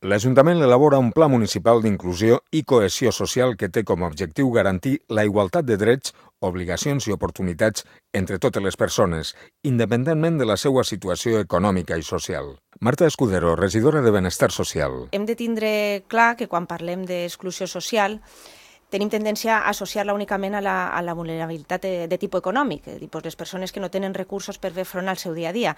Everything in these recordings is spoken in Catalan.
L'Ajuntament elabora un pla municipal d'inclusió i cohesió social que té com a objectiu garantir la igualtat de drets, obligacions i oportunitats entre totes les persones, independentment de la seva situació econòmica i social. Marta Escudero, regidora de Benestar Social. Hem de tindre clar que quan parlem d'exclusió social tenim tendència a associar-la únicament a la vulnerabilitat de tipus econòmic, les persones que no tenen recursos per fer front al seu dia a dia.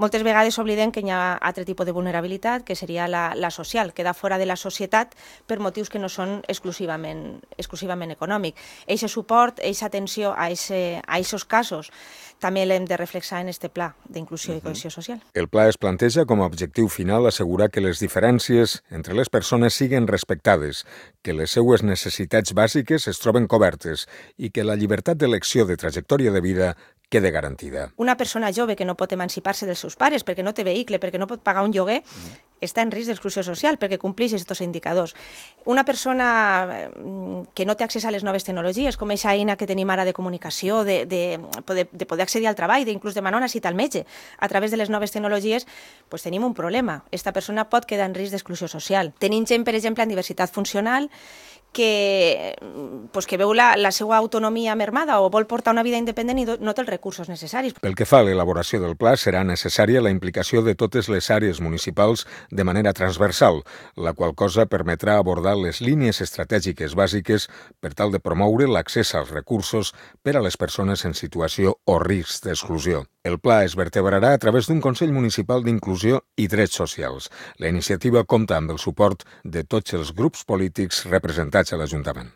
Moltes vegades oblidem que hi ha altre tipus de vulnerabilitat, que seria la social, quedar fora de la societat per motius que no són exclusivament econòmics. Eixe suport, eixa atenció a aquests casos, també l'hem de reflexar en este pla d'inclusió i cohesió social. El pla es planteja com a objectiu final assegurar que les diferències entre les persones siguin respectades, que les seues necessitats bàsiques es troben cobertes i que la llibertat d'elecció de trajectòria de vida quede garantida. Una persona jove que no pot emancipar-se dels seus pares perquè no té vehicle, perquè no pot pagar un lloguer, està en risc d'exclusió social perquè compleix aquests indicadors. Una persona que no té accés a les noves tecnologies, com aquesta eina que tenim ara de comunicació, de poder accedir al treball, d'inclús demanar una cita al metge a través de les noves tecnologies, doncs tenim un problema. Aquesta persona pot quedar en risc d'exclusió social. Tenim gent, per exemple, en diversitat funcional que veu la seva autonomia mermada o vol portar una vida independent i no té els recursos necessaris. Pel que fa a l'elaboració del pla, serà necessària la implicació de totes les àrees municipals de manera transversal, la qual cosa permetrà abordar les línies estratègiques bàsiques per tal de promoure l'accés als recursos per a les persones en situació o risc d'exclusió. El pla es vertebrarà a través d'un Consell Municipal d'Inclusió i Drets Socials. La iniciativa compta amb el suport de tots els grups polítics representats a l'Ajuntament.